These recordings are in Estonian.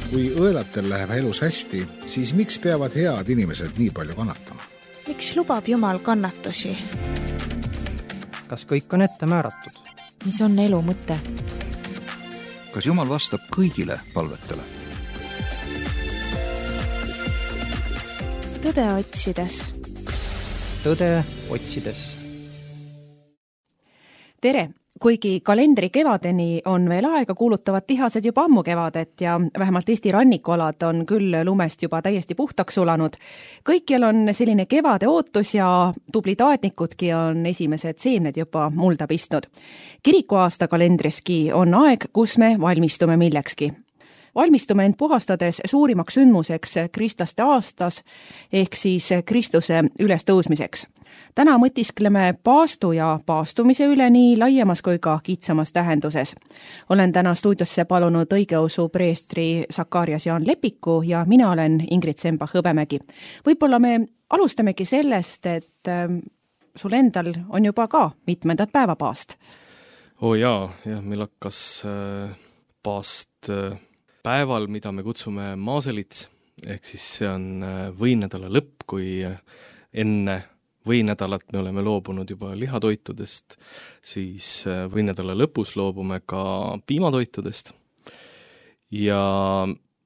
Kui õelatel läheb elus hästi, siis miks peavad head inimesed nii palju kannatama? Miks lubab Jumal kannatusi? Kas kõik on ette määratud? Mis on elu mõte? Kas Jumal vastab kõigile palvetele? Tõde otsides. Tõde otsides. Tere! Kuigi kalendri kevadeni on veel aega, kuulutavad tihased juba ammu kevadet ja vähemalt Eesti rannikualad on küll lumest juba täiesti puhtaks sulanud. Kõikjal on selline kevade ootus ja tublid aednikudki on esimesed seemned juba mulda pistnud. Kirikuaasta kalendriski on aeg, kus me valmistume millekski. Valmistume end puhastades suurimaks sündmuseks kristlaste aastas ehk siis Kristuse ülestõusmiseks. Täna mõtiskleme paastu ja paastumise üle nii laiemas kui ka kitsamas tähenduses. Olen täna stuudiosse palunud õigeusu preestri Sakarias Jaan Lepiku ja mina olen Ingrid Semba-Hõbemägi. Võib-olla me alustamegi sellest, et sul endal on juba ka mitmendat päeva paast. Meil hakkas paast päeval, mida me kutsume Maaselits, ehk siis see on võinädala lõpp, kui enne võinädalat me oleme loobunud juba lihatoitudest, siis võinädala lõpus loobume ka piimatoitudest. Ja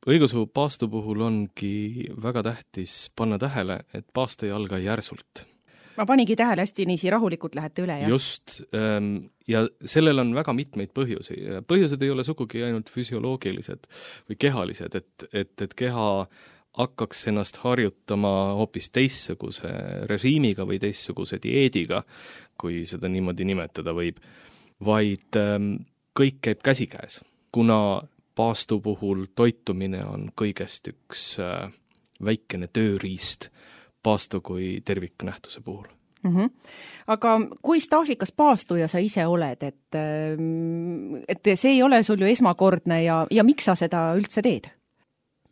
õigeusu paastu puhul ongi väga tähtis panna tähele, et paast ei alga järsult. Ma panigi tähele, hästi niisi rahulikult lähete üle. Just, ja sellel on väga mitmeid põhjusi. Põhjused ei ole sugugi ainult füsioloogilised või kehalised, et keha hakkaks ennast harjutama hoopis teistsuguse režiimiga või teistsuguse dieediga, kui seda niimoodi nimetada võib, vaid kõik käib käsikäes, kuna paastu puhul toitumine on kõigest üks väikene tööriist paastu kui terviknähtuse puhul. Aga kui staažikas paastuja sa ise oled, et see ei ole sul ju esmakordne ja miks sa seda üldse teed?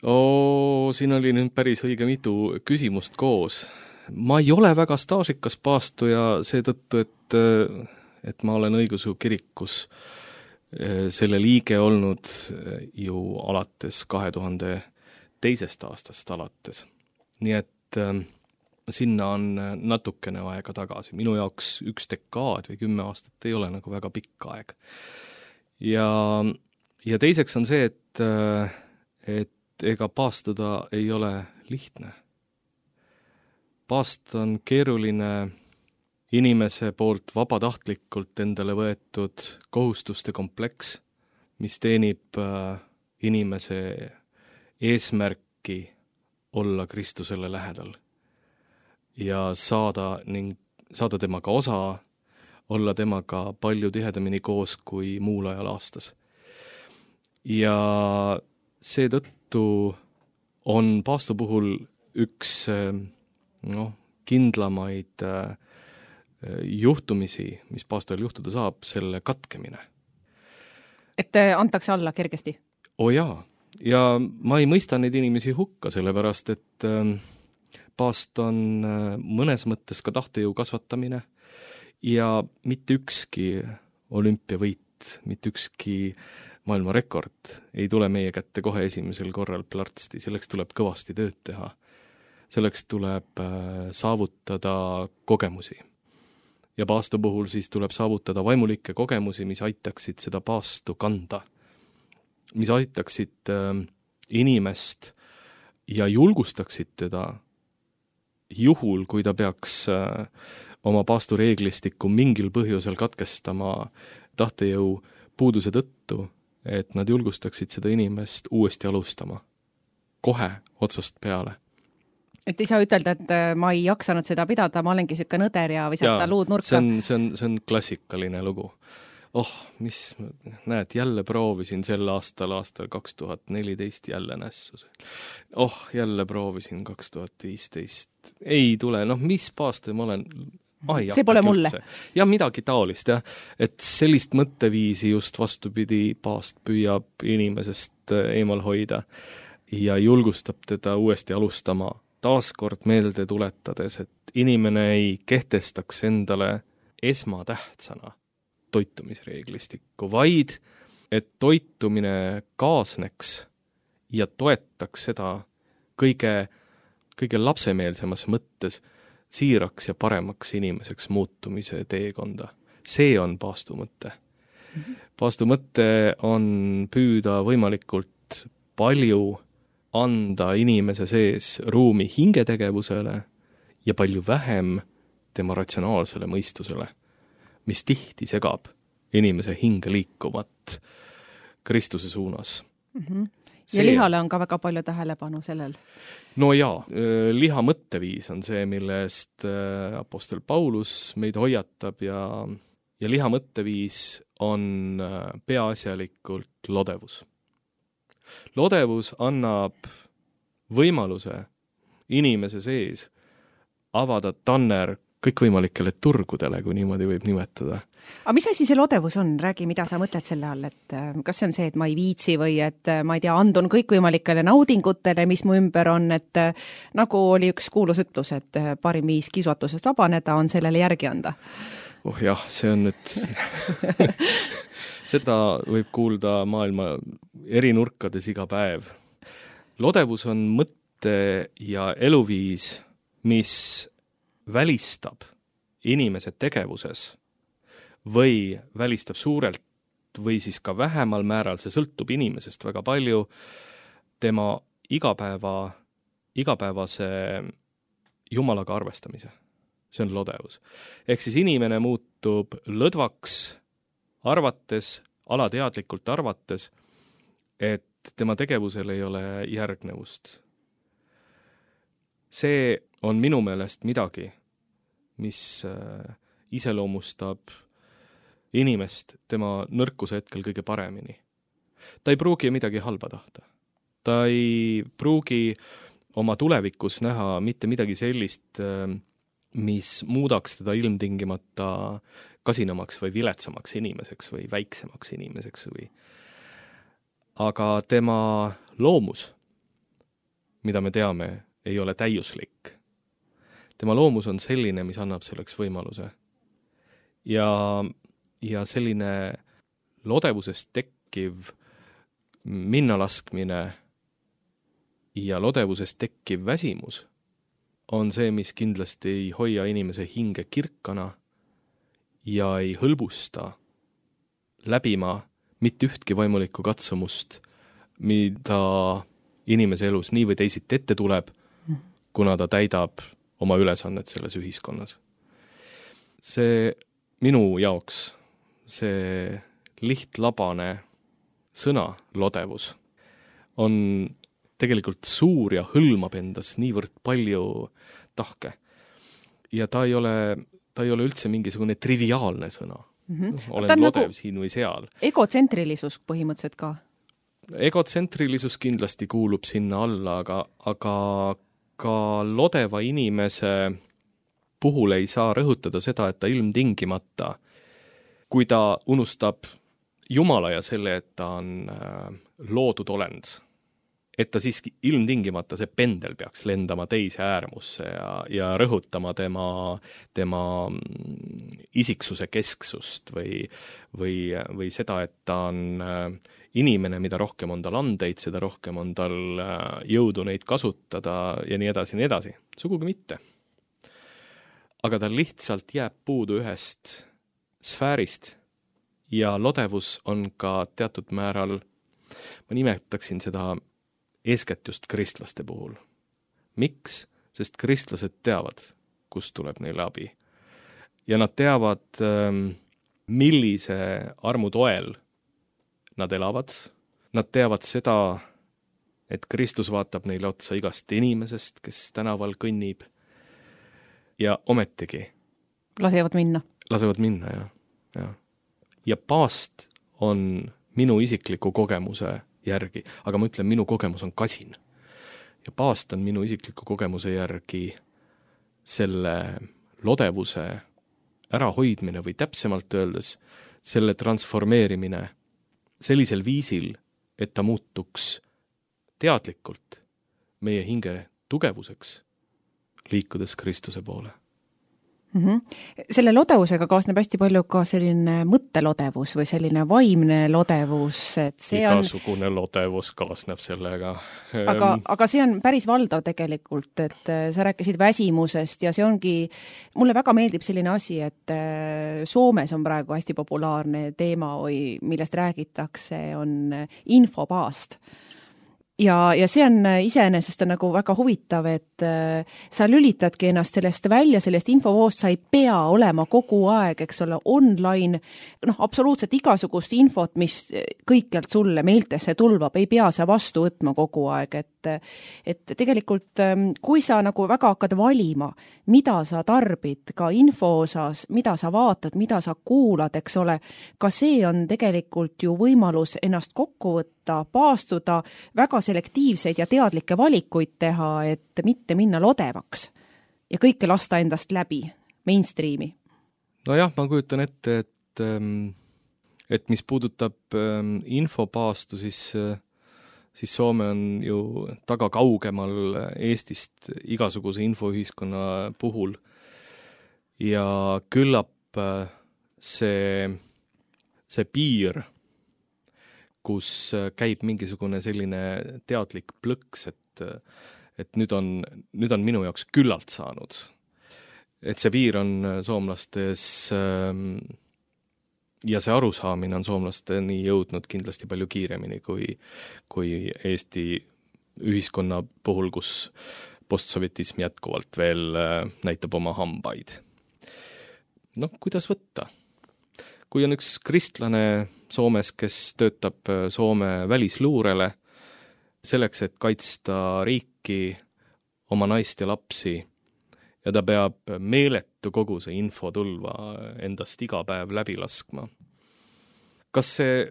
Siin oli nüüd päris õige mitu küsimust koos. Ma ei ole väga staažikas paastuja seetõttu, et ma olen õigeusu kirikus selle liige olnud ju alates 2002. aastast alates. Nii et sinna on natukene aega tagasi. Minu jaoks 1 dekaad või 10 aastat ei ole nagu väga pikk aeg. Ja teiseks on see, et ega paastuda ei ole lihtne. Paast on keeruline inimese poolt vabatahtlikult endale võetud kohustuste kompleks, mis teenib inimese eesmärki olla Kristusele lähedal ja saada temaga osa, olla temaga palju tihedamini koos kui muul ajal aastas. Ja seetõttu on paastu puhul üks kindlamaid juhtumisi, mis paastul juhtuda saab, selle katkemine. Et antakse alla kergesti? Jaa, ja ma ei mõista neid inimesi hukka, sellepärast, et paast on mõnes mõttes ka tahtejõu kasvatamine ja mitte ükski olümpiavõit, mitte ükski maailmarekord ei tule meie kätte kohe esimesel korral plärtsti, selleks tuleb kõvasti tööd teha. Selleks tuleb saavutada kogemusi. Ja paastu puhul siis tuleb saavutada vaimulikke kogemusi, mis aitaksid seda paastu kanda, mis aitaksid inimest ja julgustaksid teda juhul, kui ta peaks oma paastureeglistikku mingil põhjusel katkestama tahtejõu puuduse tõttu, et nad julgustaksid seda inimest uuesti alustama. Kohe otsast peale. Et ei saa ütelda, et ma ei jaksanud seda pidada, ma olengi selline nõder ja visata luud nurka. See on klassikaline lugu. Näed, jälle proovisin sel aastal 2014 jälle nässu. Jälle proovisin 2015. Ei tule, mis paastu ma olen... see pole mulle. Ja midagi taolist, jah. Et sellist mõtteviisi just vastupidi paast püüab inimesest eemal hoida ja julgustab teda uuesti alustama. Taaskord meelde tuletades, et inimene ei kehtestaks endale esmatähtsana toitumisreeglistikku, vaid et toitumine kaasneks ja toetaks seda kõige lapsemeelsemas mõttes siiraks ja paremaks inimeseks muutumise teekonda. See on paastu mõte. Paastu mõte on püüda võimalikult palju anda inimese sees ruumi hingetegevusele ja palju vähem tema ratsionaalsele mõistusele, mis tihti segab inimese hinge liikuvat Kristuse suunas. Ja lihale on ka väga palju tähelepanu sellel. No jaa, liha mõtteviis on see, millest apostel Paulus meid hoiatab ja liha mõtteviis on peaasjalikult lodevus. Lodevus annab võimaluse inimese sees avada tanner kõikvõimalikele turgudele, kui niimoodi võib nimetada. Aga mis asi see lodevus on? Räägi, mida sa mõtled selle all, et kas see on see, et ma ei viitsi või et ma ei tea, andun kõikvõimalikele naudingutele, mis mu ümber on, et nagu oli üks kuulus ütlus, et parim viis kiusatusest vabaneda on sellele järgi anda. Oh jah, see on nüüd seda võib kuulda maailma eri nurkades iga päev. Lodevus on mõtte ja eluviis, mis välistab inimese tegevuses või välistab suurelt või siis ka vähemal määral, see sõltub inimesest väga palju, tema igapäevase Jumalaga arvestamise. See on lodevus. Ehk siis inimene muutub lõdvaks arvates, alateadlikult arvates, et tema tegevusel ei ole järgnevust. See on minu meelest midagi, mis iseloomustab inimest tema nõrkuse hetkel kõige paremini. Ta ei pruugi midagi halba tahta. Ta ei pruugi oma tulevikus näha mitte midagi sellist, mis muudaks teda ilmtingimata kasinamaks või viletsamaks inimeseks või väiksemaks inimeseks või. Aga tema loomus, mida me teame, ei ole täiuslik. Tema loomus on selline, mis annab selleks võimaluse. Ja selline lodevusest tekkiv minnalaskmine ja lodevusest tekkiv väsimus on see, mis kindlasti ei hoia inimese hinge kirkana ja ei hõlbusta läbima mitte ühtki vaimulikku katsumust, mida inimese elus nii või teisiti ette tuleb, kuna ta täidab oma ülesannet selles ühiskonnas. See minu jaoks, see lihtlabane sõna lodevus on tegelikult suur ja hõlmab endas niivõrd palju tahke. Ja ta ei ole üldse mingisugune triviaalne sõna. Olen lodev nagu siin või seal. Egotsentrilisus põhimõtteliselt ka? Egotsentrilisus kindlasti kuulub sinna alla, aga ka lodeva inimese puhul ei saa rõhutada seda, et ta ilmtingimata, kui ta unustab Jumala ja selle, et ta on loodud olend, et ta siiski ilmtingimata see pendel peaks lendama teise äärmusse ja rõhutama tema isiksuse kesksust või seda, et ta on inimene, mida rohkem on tal andeid, seda rohkem on tal jõudu neid kasutada ja nii edasi, nii edasi. Sugugi mitte. Aga tal lihtsalt jääb puudu ühest sfäärist ja lodevus on ka teatud määral, ma nimetaksin seda eeskätt just kristlaste puhul. Miks? Sest kristlased teavad, kust tuleb neile abi. Ja nad teavad, millise armu toel nad elavad. Nad teavad seda, et Kristus vaatab neile otsa igast inimesest, kes tänaval kõnnib. Ja ometigi. Lasevad minna, jah. Ja paast on minu isikliku kogemuse järgi, aga ma ütlen, minu kogemus on kasin. Ja paast on minu isikliku kogemuse järgi selle lodevuse ärahoidmine või täpsemalt öeldes selle transformeerimine sellisel viisil, et ta muutuks teadlikult meie hinge tugevuseks, liikudes Kristuse poole. Selle lodevusega kaasneb hästi palju ka selline mõttelodevus või selline vaimne lodevus, et see igasugune lodevus kaasneb sellega. Aga see on päris valdav tegelikult, et sa rääkisid väsimusest ja see ongi, mulle väga meeldib selline asi, et Soomes on praegu hästi populaarne teema, millest räägitakse, on infopaast. Ja see on iseenesest nagu väga huvitav, et sa lülitadki ennast sellest välja, sellest infovoost, sa ei pea olema kogu aeg, eks ole, online, absoluutselt igasugust infot, mis kõikjalt sulle meeltesse tulvab, ei pea sa vastu võtma kogu aeg, et tegelikult kui sa nagu väga hakkad valima, mida sa tarbid ka info osas, mida sa vaatad, mida sa kuulad, eks ole, ka see on tegelikult ju võimalus ennast kokku võtta, paastuda, väga selektiivseid ja teadlikke valikuid teha, et mitte minna lodevaks ja kõike lasta endast läbi, mainstreami. Nojah, ma kujutan ette, et mis puudutab infopaastu, siis Soome on ju taga kaugemal Eestist igasuguse infoühiskonna puhul ja küllap see piir, kus käib mingisugune selline teadlik plõks, et nüüd on minu jaoks küllalt saanud. Et see piir on soomlastes ja see arusaamine on soomlasteni jõudnud kindlasti palju kiiremini kui Eesti ühiskonna puhul, kus postsovjetism jätkuvalt veel näitab oma hambaid. Kuidas võtta? Kui on üks kristlane Soomes, kes töötab Soome välisluurele selleks, et kaitsta riiki, oma naist ja lapsi, ja ta peab meeletu koguse infotulva endast iga päev läbi laskma. Kas see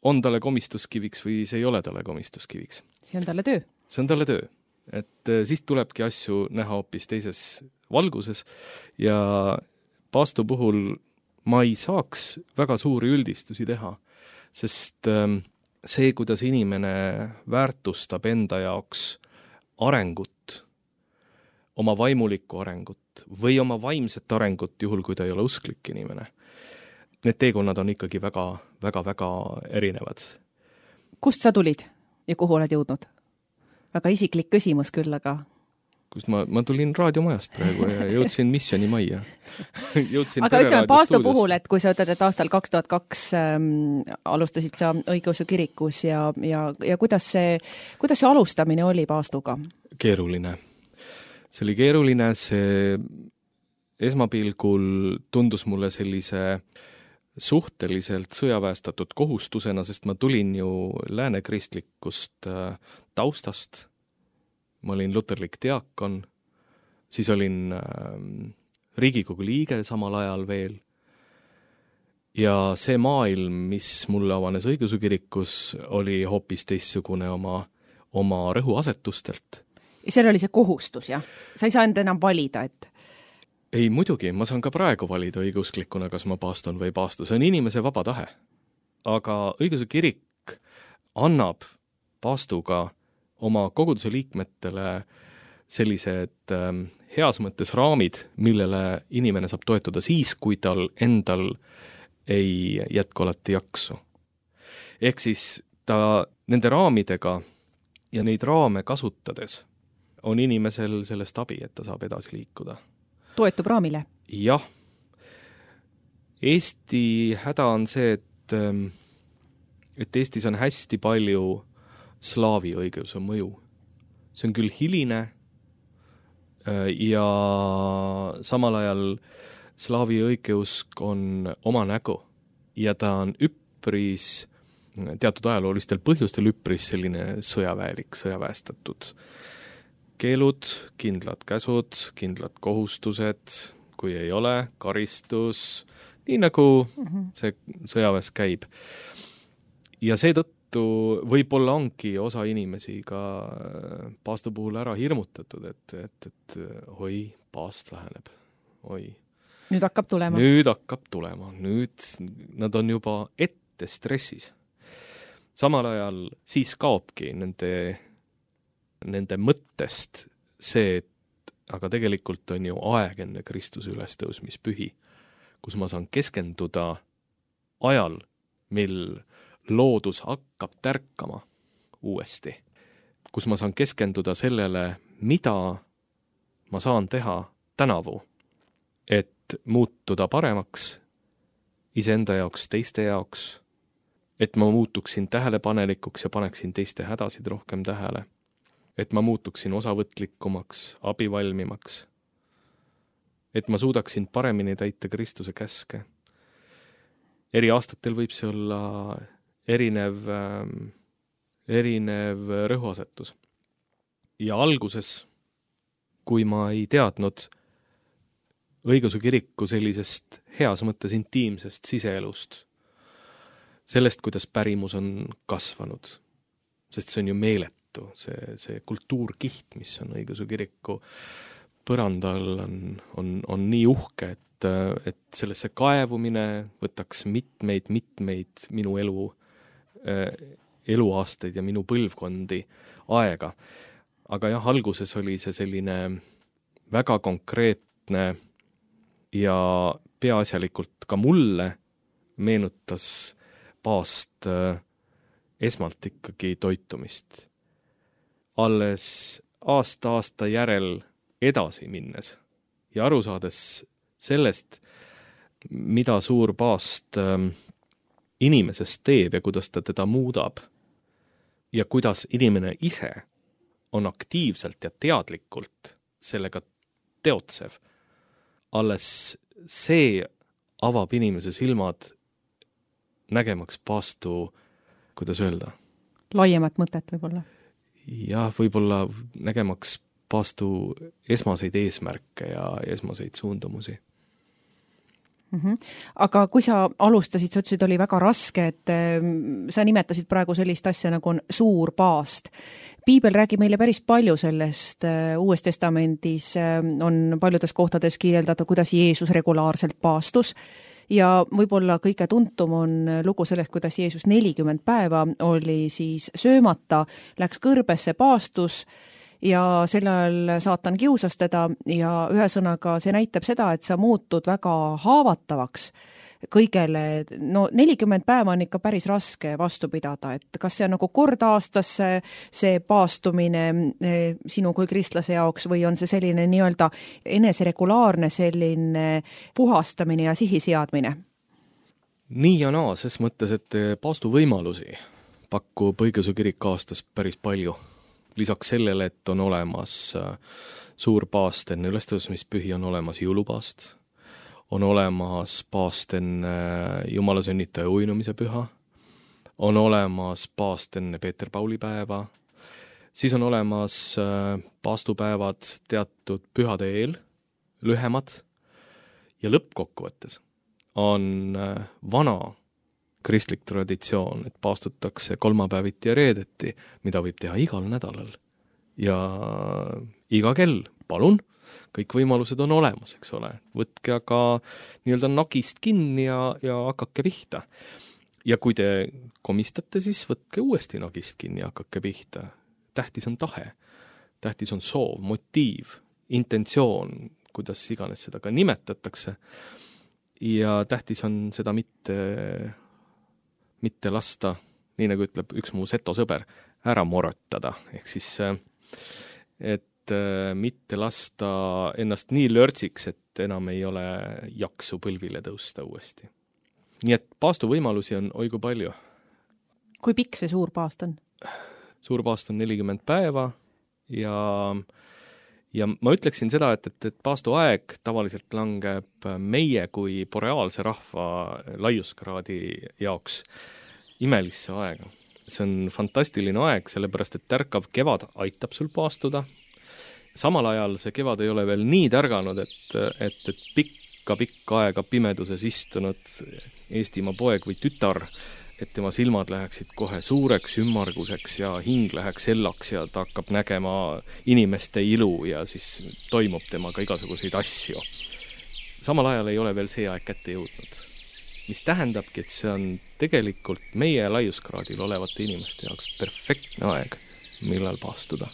on talle komistuskiviks või see ei ole talle komistuskiviks? See on talle töö. See on talle töö. Et siis tulebki asju näha hoopis teises valguses ja paastu puhul ma ei saaks väga suuri üldistusi teha, sest see, kuidas inimene väärtustab enda jaoks arengut, oma vaimulikku arengut või oma vaimset arengut, juhul kui ta ei ole usklik inimene. Need teekonnad on ikkagi väga, väga, väga erinevad. Kust sa tulid ja kuhu oled jõudnud? Väga isiklik küsimus küll, aga... Kust ma tulin raadiomajast praegu ja jõudsin Missioni majja. Aga ütleme paastu puhul, et kui sa ütled, et aastal 2002 alustasid sa õigeusu kirikus ja kuidas see alustamine oli paastuga? Keeruline. See oli keeruline, see esmapilgul tundus mulle sellise suhteliselt sõjaväestatud kohustusena, sest ma tulin ju läänekristlikust taustast. Ma olin luterlik diakon, siis olin Riigikogu liige samal ajal veel. Ja see maailm, mis mulle avanes õigeusu kirikus, oli hoopis teistsugune oma rõhuasetustelt. Seal oli see kohustus, jah? Sa ei saanud enam valida, et... Ei, muidugi, ma saan ka praegu valida õigeusklikuna, kas ma paastun või ei paastu. See on inimese vaba tahe. Aga õigeusu kirik annab paastuga oma koguduse liikmetele sellised heas mõttes raamid, millele inimene saab toetuda siis, kui tal endal ei jätku alati jaksu. Ehk siis ta nende raamidega ja neid raame kasutades on inimesel sellest abi, et ta saab edasi liikuda. Toetub raamile? Jah. Eesti häda on see, et Eestis on hästi palju slaavi õigeusu mõju. See on küll hiline ja samal ajal slaavi õigeusk on oma nägu ja ta on üpris, teatud ajaloolistel põhjustel üpris selline sõjaväelik, sõjaväestatud. Keelud, kindlad käsud, kindlad kohustused, kui ei ole, karistus, nii nagu see sõjaväes käib. Ja seetõttu võib-olla ongi osa inimesi ka paastu puhul ära hirmutatud, et oi, paast läheneb, oi. Nüüd hakkab tulema. Nüüd nad on juba ette stressis. Samal ajal siis kaobki nende mõttest see, et aga tegelikult on ju aeg enne Kristuse ülestõusmispühi, kus ma saan keskenduda ajal, mil loodus hakkab tärkama uuesti, kus ma saan keskenduda sellele, mida ma saan teha tänavu, et muutuda paremaks iseenda jaoks, teiste jaoks, et ma muutuksin tähelepanelikuks ja paneksin teiste hädasid rohkem tähele, et ma muutuksin osavõtlikumaks, abivalmimaks, et ma suudaksin paremini täita Kristuse käske. Eri aastatel võib see olla erinev rõhuasetus. Ja alguses, kui ma ei teadnud õigeusu kiriku sellisest heas mõttes intiimsest siseelust, sellest, kuidas pärimus on kasvanud, sest see on ju meeletu, see kultuurkiht, mis on õigeusu kiriku põrandal, on nii uhke, et sellesse kaevumine võtaks mitmeid minu eluaastaid ja minu põlvkondi aega. Aga jah, alguses oli see selline väga konkreetne ja peaasjalikult ka mulle meenutas paast esmalt ikkagi toitumist. Alles aasta järel edasi minnes ja aru saades sellest, mida suur paast inimesest teeb ja kuidas ta teda muudab ja kuidas inimene ise on aktiivselt ja teadlikult sellega teotsev. Alles see avab inimese silmad nägemaks paastu, kuidas öelda? Laiemat mõtet võib-olla. Jah, võib-olla nägemaks paastu esmaseid eesmärke ja esmaseid suundumusi. Aga kui sa alustasid, sa ütlesid, oli väga raske, et sa nimetasid praegu sellist asja nagu on suur paast. Piibel räägib meile päris palju sellest, Uues Testamendis on paljudes kohtades kirjeldatud, kuidas Jeesus regulaarselt paastus ja võib-olla kõige tuntum on lugu sellest, kuidas Jeesus 40 päeva oli siis söömata, läks kõrbesse, paastus ja sel ajal saatan kiusas teda ja ühesõnaga see näitab seda, et sa muutud väga haavatavaks kõigele. No 40 päeva on ikka päris raske vastu pidada, et kas see on nagu kord aastas see paastumine sinu kui kristlase jaoks või on see selline nii-öelda eneseregulaarne selline puhastamine ja sihiseadmine? Nii ja naa, ses mõttes, et paastu võimalusi pakub õigeusu kirik aastas päris palju. Lisaks sellele, et on olemas suur paast enne ülestõusmispühi, on olemas jõulupaast, on olemas paast enne Jumala sünnitaja uinumise püha, on olemas paast enne Peeter-Pauli päeva, siis on olemas paastupäevad teatud pühade eel, lühemad ja lõppkokkuvõttes on vana kristlik traditsioon, et paastutakse kolmapäeviti ja reedeti, mida võib teha igal nädalal. Ja iga kell, palun, kõik võimalused on olemas, eks ole. Võtke aga nii-öelda nagist kinni ja hakake pihta. Ja kui te komistate, siis võtke uuesti nagist kinni ja hakake pihta. Tähtis on tahe, tähtis on soov, motiiv, intentsioon, kuidas iganes seda ka nimetatakse. Ja tähtis on seda mitte lasta, nii nagu ütleb üks mu seto sõber, ära morotada. Ehk siis, et mitte lasta ennast nii lörtsiks, et enam ei ole jaksu põlvile tõusta uuesti. Nii et paastu võimalusi on oigu palju. Kui pikk see suur paast on? Suur paast on 40 päeva ja ma ütleksin seda, et paastu aeg tavaliselt langeb meie kui boreaalse rahva laiuskraadi jaoks imelisse aega. See on fantastiline aeg, sellepärast et tärkav kevad aitab sul paastuda. Samal ajal see kevad ei ole veel nii tärganud, et pikka aega pimeduses istunud Eestimaa poeg või tütar, et tema silmad läheksid kohe suureks ümmarguseks ja hing läheks sellaks ja ta hakkab nägema inimeste ilu ja siis toimub temaga igasuguseid asju. Samal ajal ei ole veel see aeg kätte jõudnud, mis tähendabki, et see on tegelikult meie laiuskraadil olevate inimeste jaoks perfektne aeg, millal paastuda.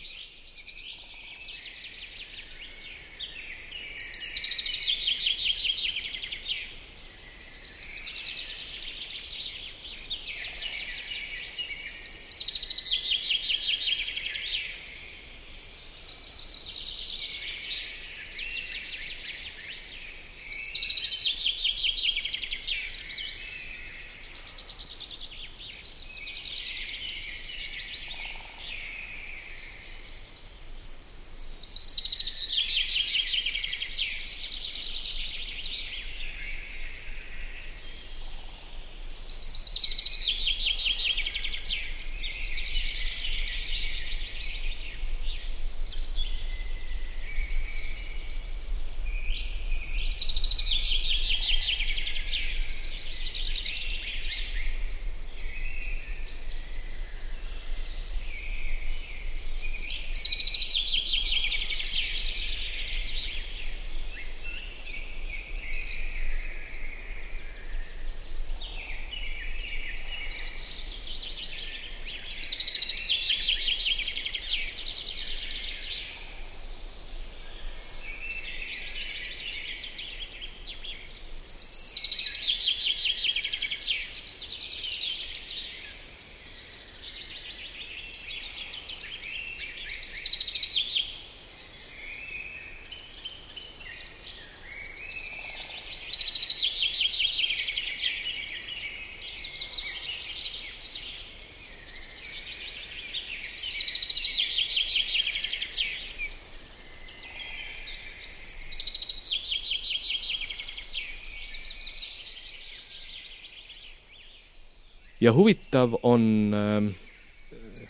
ja huvitav on,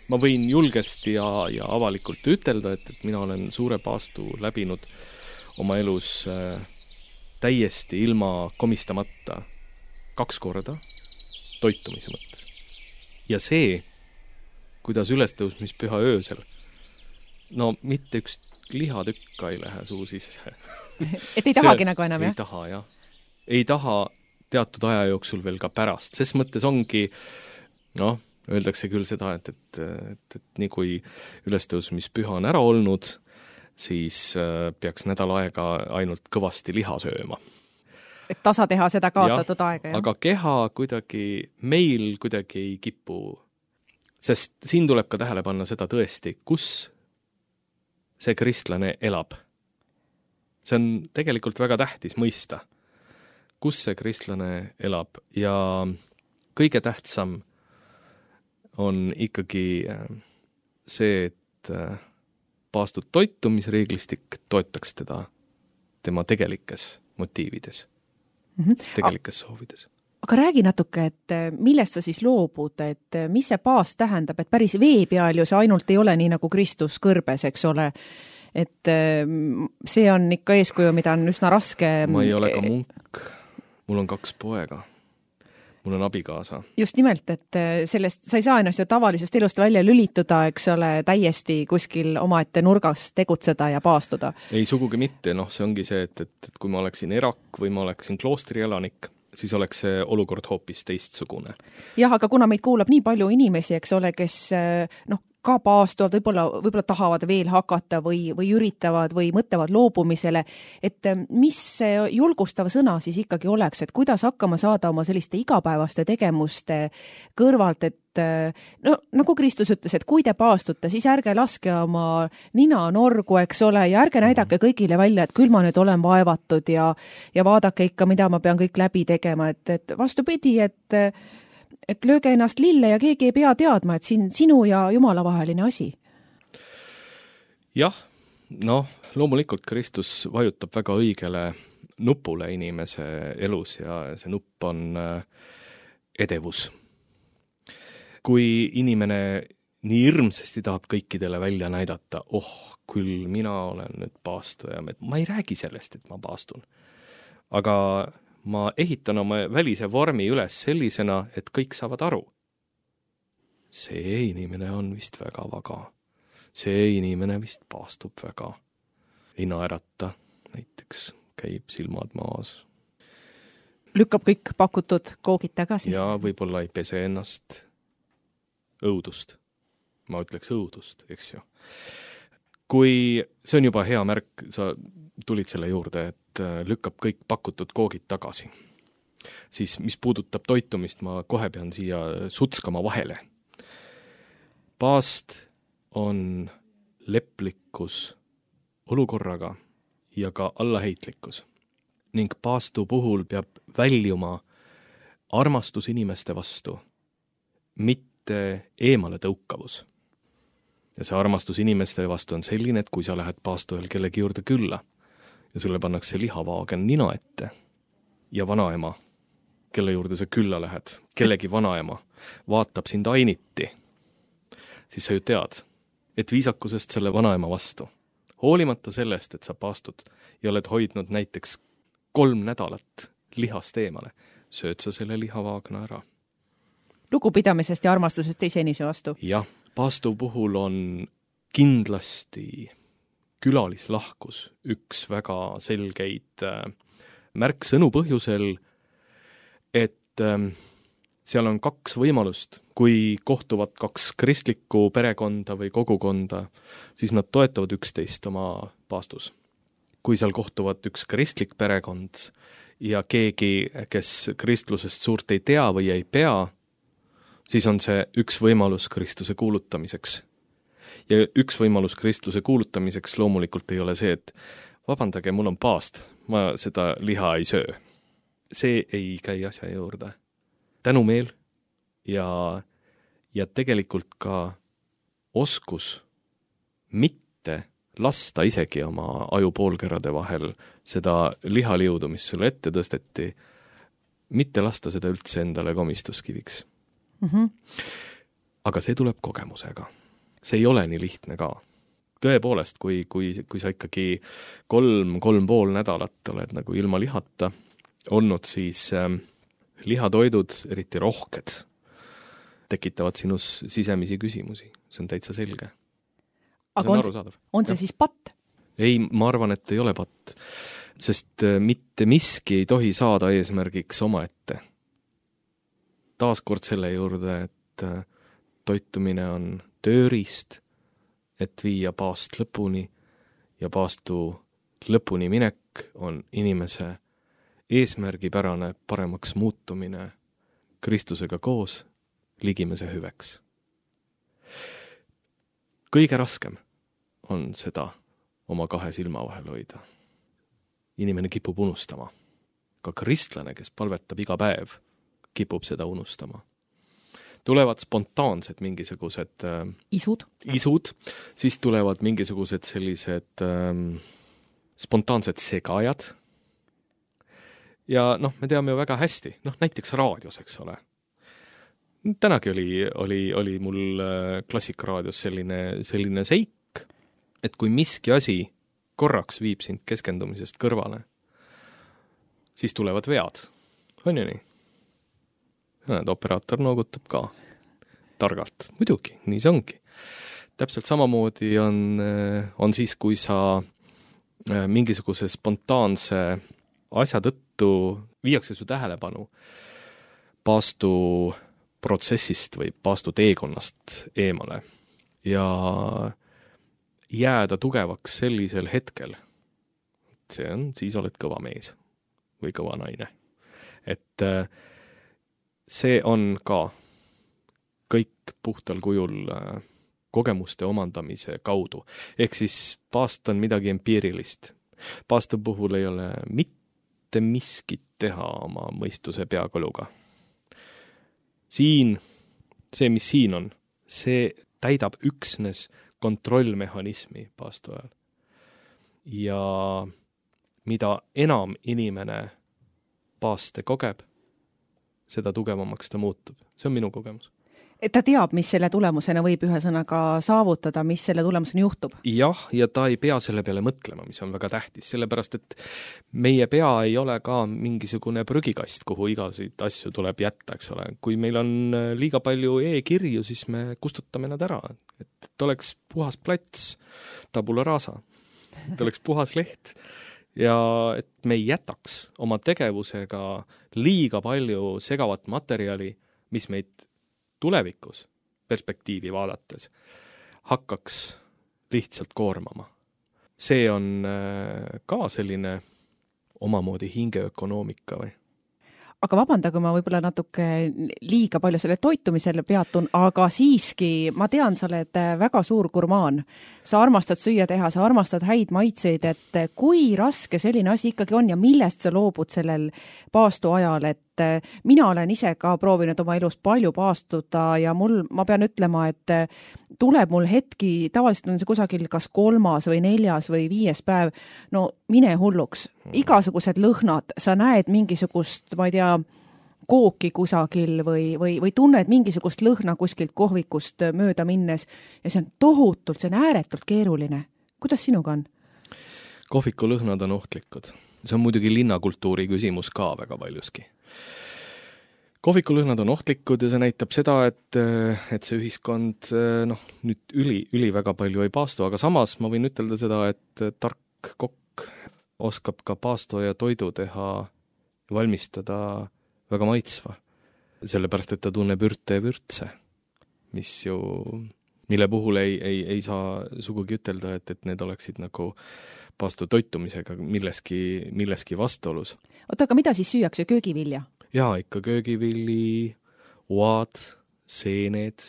ma võin julgesti ja avalikult ütelda, et mina olen suure paastu läbinud oma elus täiesti ilma komistamata 2 korda toitumise mõttes. Ja see, kuidas ülestõusmispüha öösel, no mitte üks lihatükk ei lähe suu sisse. Et ei tahagi nagu enam, jah? Ei taha, jah. Ei taha teatud aja jooksul veel ka pärast. Ses mõttes ongi, öeldakse küll seda, et nii kui ülestõusmispüha on ära olnud, siis peaks nädal aega ainult kõvasti liha sööma. Et tasa teha seda kaotatud aega, jah? Aga keha meil kuidagi ei kipu, sest siin tuleb ka tähele panna seda tõesti, kus see kristlane elab. See on tegelikult väga tähtis mõista, kus see kristlane elab ja kõige tähtsam on ikkagi see, et paastud toitumisreeglistik toetaks teda tema tegelikes motiivides, tegelikes soovides. Aga räägi natuke, et millest sa siis loobud, et mis see paast tähendab, et päris vee peal ju see ainult ei ole nii nagu Kristus kõrbes, eks ole, et see on ikka eeskuju, mida on üsna raske. Ma ei ole ka munk, mul on 2 poega, mul on abikaasa. Just nimelt, et sellest sa ei saa ennast ju tavalisest elust välja lülituda, eks ole, täiesti kuskil omaette nurgas tegutseda ja paastuda. Ei sugugi mitte, see ongi see, et kui ma oleksin erak või ma oleksin kloostri elanik, siis oleks see olukord hoopis teistsugune. Jah, aga kuna meid kuulab nii palju inimesi, eks ole, kes ka paastuvad, võib-olla tahavad veel hakata või üritavad või mõtlevad loobumisele, et mis see julgustav sõna siis ikkagi oleks, et kuidas hakkama saada oma selliste igapäevaste tegemuste kõrvalt, et nagu Kristus ütles, et kui te paastute, siis ärge laske oma nina norgu, eks ole, ja ärge näidake kõigile välja, et küll ma nüüd olen vaevatud ja vaadake ikka, mida ma pean kõik läbi tegema, et vastupidi, et lööge ennast lille ja keegi ei pea teadma, et sinu ja Jumala vaheline asi. Jah, loomulikult Kristus vajutab väga õigele nupule inimese elus ja see nupp on edevus. Kui inimene nii hirmsasti tahab kõikidele välja näidata, küll mina olen nüüd paastuja, ma ei räägi sellest, et ma paastun. Aga ma ehitan oma välise vormi üles sellisena, et kõik saavad aru. See inimene on vist väga vaga. See inimene vist paastub väga. Ei naerata, näiteks käib silmad maas. Lükkab kõik pakutud koogid tagasi. Ja võib-olla ei pese ennast õudust. Ma ütleks õudust, eks ju. Kui see on juba hea märk, sa tulid selle juurde, et lükkab kõik pakutud koogid tagasi. Siis mis puudutab toitumist, ma kohe pean siia sutskama vahele. Paast on leplikkus olukorraga ja ka allaheitlikkus. Ning paastu puhul peab väljuma armastus inimeste vastu, mitte eemale tõukavus. Ja see armastus inimeste vastu on selline, et kui sa lähed paastu ajal kellegi juurde külla ja sulle pannakse lihavaagen nina ette ja vanaema, kelle juurde sa külla lähed, kellegi vanaema, vaatab sind ainiti, siis sa ju tead, et viisakusest selle vanaema vastu, hoolimata sellest, et sa paastud ja oled hoidnud näiteks 3 nädalat lihast eemale, sööd sa selle lihavaagna ära. Lugupidamisest ja armastusest teise inimese vastu. Jah, paastu puhul on kindlasti külalislahkus üks väga selgeid märksõnu põhjusel, et seal on 2 võimalust. Kui kohtuvad 2 kristlikku perekonda või kogukonda, siis nad toetavad üksteist oma paastus. Kui seal kohtuvad üks kristlik perekond ja keegi, kes kristlusest suurt ei tea või ei pea, siis on see üks võimalus Kristuse kuulutamiseks. Ja üks võimalus Kristuse kuulutamiseks loomulikult ei ole see, et vabandage, mul on paast, ma seda liha ei söö. See ei käi asja juurde. Tänumeel ja tegelikult ka oskus mitte lasta isegi oma ajupoolkerade vahel seda lihaliudu, mis sulle ette tõsteti, mitte lasta seda üldse endale komistuskiviks. Aga see tuleb kogemusega. See ei ole nii lihtne ka. Tõepoolest, kui sa ikkagi 3,5 nädalat oled nagu ilma lihata olnud, siis lihatoidud, eriti rohked, tekitavad sinus sisemisi küsimusi. See on täitsa selge. Aga on see siis patt? Ei, ma arvan, et ei ole patt. Sest mitte miski ei tohi saada eesmärgiks omaette. Taaskord selle juurde, et toitumine on tööriist, et viia paast lõpuni ja paastu lõpuni minek on inimese eesmärgipärane paremaks muutumine Kristusega koos ligimese hüveks. Kõige raskem on seda oma 2 silma vahel hoida. Inimene kipub unustama. Ka kristlane, kes palvetab iga päev, kipub seda unustama. Tulevad spontaansed mingisugused isud, siis tulevad mingisugused sellised spontaansed segajad. Ja me teame ju väga hästi, näiteks raadios, eks ole. Tänagi oli mul Klassikaraadios selline seik, et kui miski asi korraks viib sind keskendumisest kõrvale, siis tulevad vead. On ju nii? Operaator noogutab ka targalt. Muidugi, nii see ongi. Täpselt samamoodi on siis, kui sa mingisuguse spontaanse asja tõttu viiakse su tähelepanu paastu protsessist või paastu teekonnast eemale ja jääda tugevaks sellisel hetkel. Siis oled kõva mees või kõva naine. Et see on ka kõik puhtal kujul kogemuste omandamise kaudu. Ehk siis paast on midagi empiirilist. Paastu puhul ei ole mitte miskit teha oma mõistuse peakoluga. See, mis siin on, see täidab üksnes kontrollmehhanismi paastu ajal. Ja mida enam inimene paaste kogeb, seda tugevamaks ta muutub. See on minu kogemus. Et ta teab, mis selle tulemusena võib ühesõnaga saavutada, mis selle tulemusena juhtub. Jah, ja ta ei pea selle peale mõtlema, mis on väga tähtis, sellepärast, et meie pea ei ole ka mingisugune prügikast, kuhu igasid asju tuleb jätta, eks ole. Kui meil on liiga palju e-kirju, siis me kustutame nad ära. Et oleks puhas plats, tabula rasa, et oleks puhas leht ja et me ei jätaks oma tegevusega liiga palju segavat materjali, mis meid tulevikus perspektiivi vaadates hakkaks lihtsalt koormama. See on ka selline omamoodi hingeökonoomika või? Aga vabanda, kui ma võib-olla natuke liiga palju selle toitumisele peatun, aga siiski ma tean, sa oled väga suur gurmaan. Sa armastad süüa teha, sa armastad häid maitseid, et kui raske selline asi ikkagi on ja millest sa loobud sellel paastu ajal, et mina olen ise ka proovinud oma elus palju paastuda ja ma pean ütlema, et tuleb mul hetki, tavaliselt on see kusagil kas 3. või 4. või 5. päev, no mine hulluks, igasugused lõhnad, sa näed mingisugust, ma ei tea, kooki kusagil või tunned mingisugust lõhna kuskilt kohvikust mööda minnes ja see on ääretult keeruline. Kuidas sinuga on? Kohviku lõhnad on ohtlikud. See on muidugi linnakultuuri küsimus ka väga paljuski. Kohvikulõhnad on ohtlikud ja see näitab seda, et see ühiskond nüüd üli väga palju ei paastu, aga samas ma võin ütelda seda, et tark kokk oskab ka paastu ja toidu teha, valmistada väga maitsva. Sellepärast, et ta tunneb ürte ja vürtse, mille puhul ei saa sugugi ütelda, et need oleksid nagu paastu toitumisega milleski vastuolus. Oota, aga mida siis süüakse, köögivilja? Jaa, ikka köögivilli, oad, seened,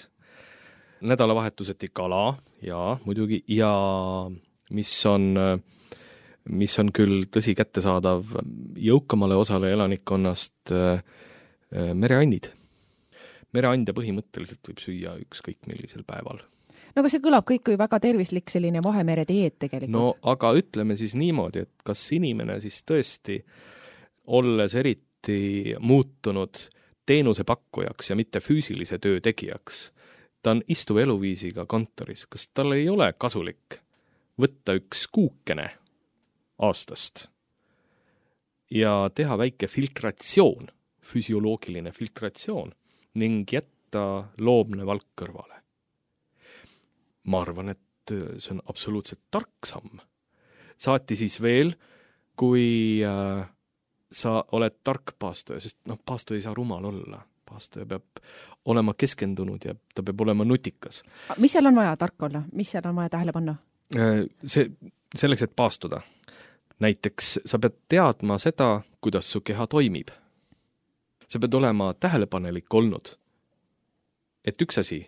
nädalavahetuseti kala, jaa, muidugi, ja mis on küll tõsi kättesaadav jõukamale osale elanikkonnast, mereannid. Mereande põhimõtteliselt võib süüa ükskõik millisel päeval. No aga see kõlab kõik kui väga tervislik selline Vahemere dieet tegelikult. No aga ütleme siis niimoodi, et kas inimene siis tõesti, olles eriti muutunud teenusepakkujaks ja mitte füüsilise töö tegijaks. Ta on istuva eluviisiga kontoris. Kas tal ei ole kasulik võtta üks kuukene aastast ja teha väike filtratsioon, füsioloogiline filtratsioon ning jätta loomne valk kõrvale? Ma arvan, et see on absoluutselt tark samm. Saati siis veel, kui sa oled tark paastoja, sest paastoja ei saa rumal olla. Paastoja peab olema keskendunud ja ta peab olema nutikas. Mis seal on vaja tark olla? Mis seal on vaja tähele panna? Selleks, et paastuda. Näiteks sa pead teadma seda, kuidas su keha toimib. Sa pead olema tähelepanelik olnud, et üks asi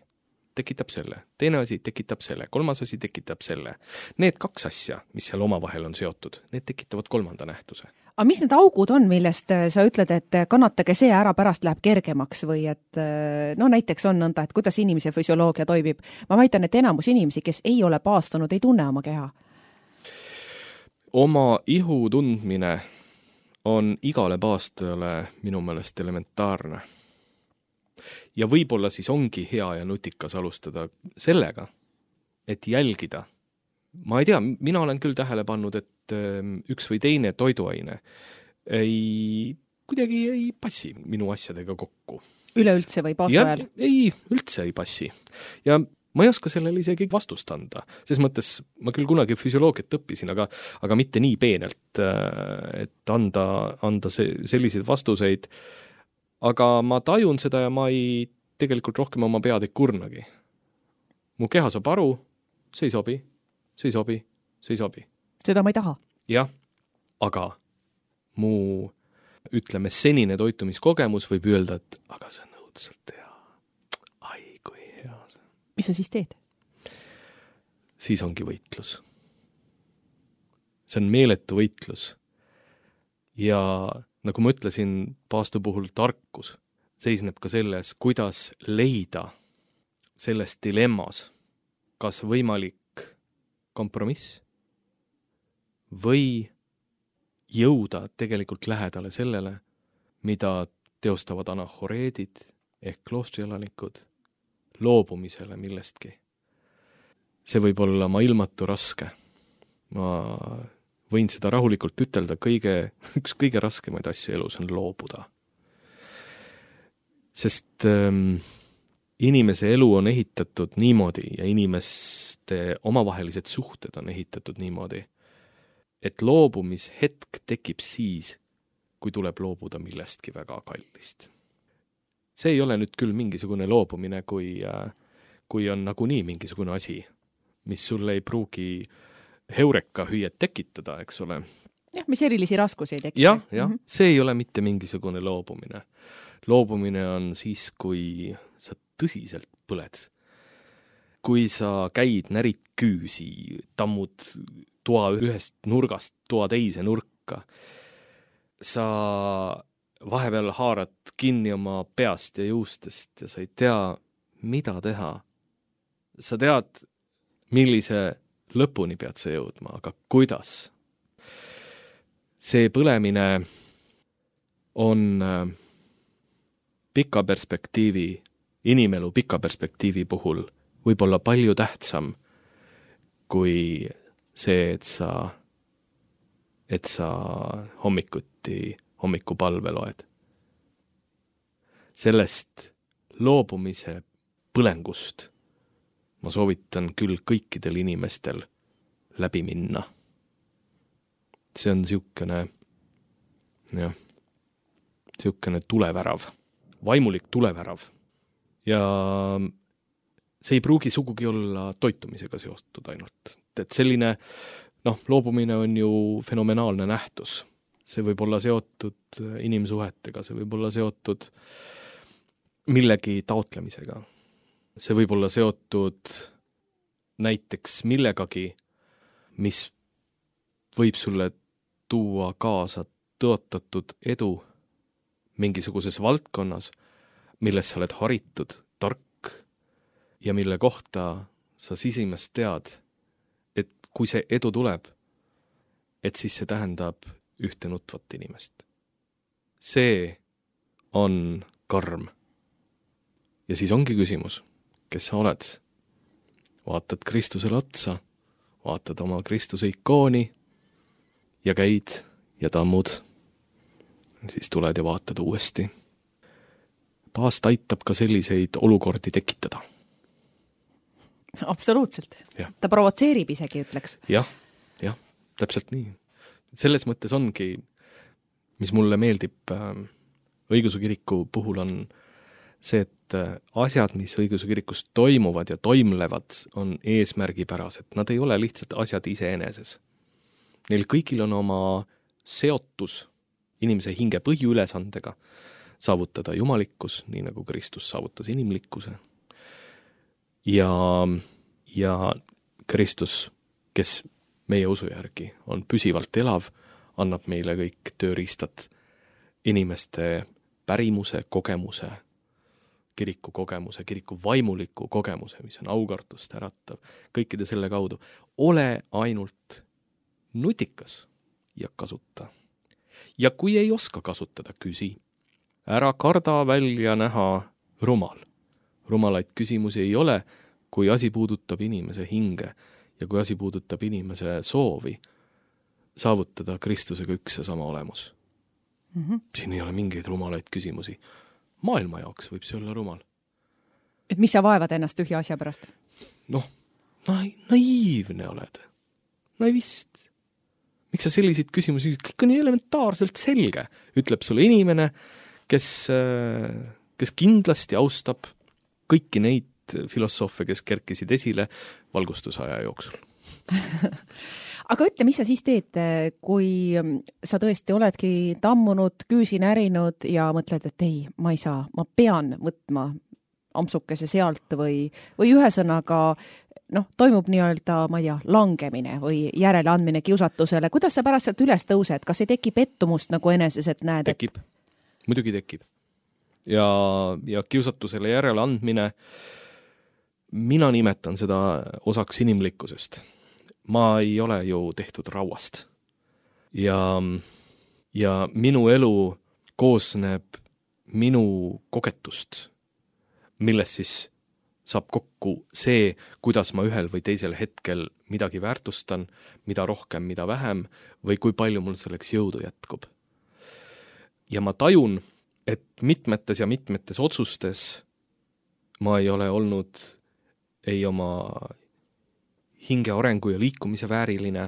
tekitab selle, teine asi tekitab selle, kolmas asi tekitab selle. Need kaks asja, mis seal omavahel on seotud, need tekitavad kolmanda nähtuse. Aga mis need augud on, millest sa ütled, et kannatage see ära, pärast läheb kergemaks või et näiteks on nõnda, et kuidas inimese füsioloogia toimib? Ma väitan, et enamus inimesi, kes ei ole paastunud, ei tunne oma keha. Oma ihu tundmine on igale paastajale minu meelest elementaarne. Ja võib-olla siis ongi hea ja nutikas alustada sellega, et jälgida. Ma ei tea, mina olen küll tähele pannud, et üks või teine toiduaine kuidagi ei passi minu asjadega kokku. Üleüldse või paastu ajal? Ei, üldse ei passi. Ja ma ei oska sellele isegi vastust anda. Ses mõttes ma küll kunagi füsioloogiat õppisin, aga mitte nii peenelt, et anda selliseid vastuseid. Aga ma tajun seda ja ma ei tegelikult rohkem oma pead ei kurnagi. Mu keha saab aru, see ei sobi, see ei sobi, see ei sobi. Seda ma ei taha. Jah, aga mu, ütleme, senine toitumiskogemus võib öelda, et aga see on õudselt hea. Ai, kui hea see. Mis sa siis teed? Siis ongi võitlus. See on meeletu võitlus. Ja nagu ma ütlesin, paastu puhul tarkus seisneb ka selles, kuidas leida selles dilemmas kas võimalik kompromiss või jõuda tegelikult lähedale sellele, mida teostavad anahoreedid ehk kloostrielanikud loobumisele millestki. See võib olla ilmatu raske. Ma võin seda rahulikult ütelda, üks kõige raskemaid asju elus on loobuda. Sest inimese elu on ehitatud niimoodi ja inimeste omavahelised suhted on ehitatud niimoodi, et loobumishetk tekib siis, kui tuleb loobuda millestki väga kallist. See ei ole nüüd küll mingisugune loobumine, kui on nagunii mingisugune asi, mis sulle ei pruugi heureka hüüet tekitada, eks ole. Jah, mis erilisi raskusi ei tekita. Jah, see ei ole mitte mingisugune loobumine. Loobumine on siis, kui sa tõsiselt põled. Kui sa käid, närid küüsi, tammud toa ühest nurgast toa teise nurka. Sa vahepeal haarad kinni oma peast ja juustest ja sa ei tea, mida teha. Sa tead, millise lõpuni pead sa jõudma, aga kuidas? See põlemine on pika perspektiivi, inimelu pika perspektiivi puhul võib-olla palju tähtsam kui see, et sa hommikupalve loed. Sellest loobumise põlengust ma soovitan küll kõikidel inimestel läbi minna. See on siukene tulevärav, vaimulik tulevärav. Ja see ei pruugi sugugi olla toitumisega seotud ainult. Et selline, loobumine on ju fenomenaalne nähtus. See võib olla seotud inimsuhetega, see võib olla seotud millegi taotlemisega. See võib olla seotud näiteks millegagi, mis võib sulle tuua kaasa tõotatud edu mingisuguses valdkonnas, milles sa oled haritud, tark ja mille kohta sa sisimast tead, et kui see edu tuleb, et siis see tähendab ühte nutvat inimest. See on karm. Ja siis ongi küsimus, kes sa oled? Vaatad Kristusele otsa, vaatad oma Kristuse ikooni ja käid ja tammud. Siis tuled ja vaatad uuesti. Paast aitab ka selliseid olukordi tekitada. Absoluutselt. Ja. Ta provotseerib isegi, ütleks. Jah, täpselt nii. Selles mõttes ongi, mis mulle meeldib õigeusu kiriku puhul on see, et asjad, mis õigeusu kirikus toimuvad ja toimlevad, on eesmärgipärased. Nad ei ole lihtsalt asjad iseeneses. Neil kõigil on oma seotus inimese hinge põhiülesandega saavutada jumalikkus, nii nagu Kristus saavutas inimlikkuse. Ja Kristus, kes meie usu järgi on püsivalt elav, annab meile kõik tööriistad inimeste pärimuse, kogemuse, kiriku kogemuse, kiriku vaimuliku kogemuse, mis on aukartust äratav, kõikide selle kaudu. Ole ainult nutikas ja kasuta. Ja kui ei oska kasutada, küsi. Ära karda välja näha rumal. Rumalaid küsimusi ei ole, kui asi puudutab inimese hinge ja kui asi puudutab inimese soovi saavutada Kristusega üks ja sama olemus. Siin ei ole mingeid rumalaid küsimusi. Maailma jaoks võib see olla rumal. Et mis sa vaevad ennast tühja asja pärast? Naiivne oled. Naivist. Miks sa selliseid küsimusi, kõik on elementaarselt selge, ütleb sulle inimene, kes kindlasti austab kõiki neid filosoofe, kes kerkisid esile valgustusaja jooksul. Aga ütle, mis sa siis teed, kui sa tõesti oledki tammunud, küüsi närinud ja mõtled, et ei, ma ei saa, ma pean võtma ampsukese sealt või ühesõnaga toimub nii-öelda, ma ei tea, langemine või järeleandmine kiusatusele. Kuidas sa pärast sealt üles tõused? Kas ei teki pettumust nagu eneses, et näed? Tekib. Muidugi tekib. Ja kiusatusele järeleandmine, mina nimetan seda osaks inimlikkusest. Ma ei ole ju tehtud rauast. Ja minu elu koosneb minu kogetust, milles siis saab kokku see, kuidas ma ühel või teisel hetkel midagi väärtustan, mida rohkem, mida vähem, või kui palju mul selleks jõudu jätkub. Ja ma tajun, et mitmetes otsustes ma ei ole olnud ei oma hinge arengu ja liikumise vääriline.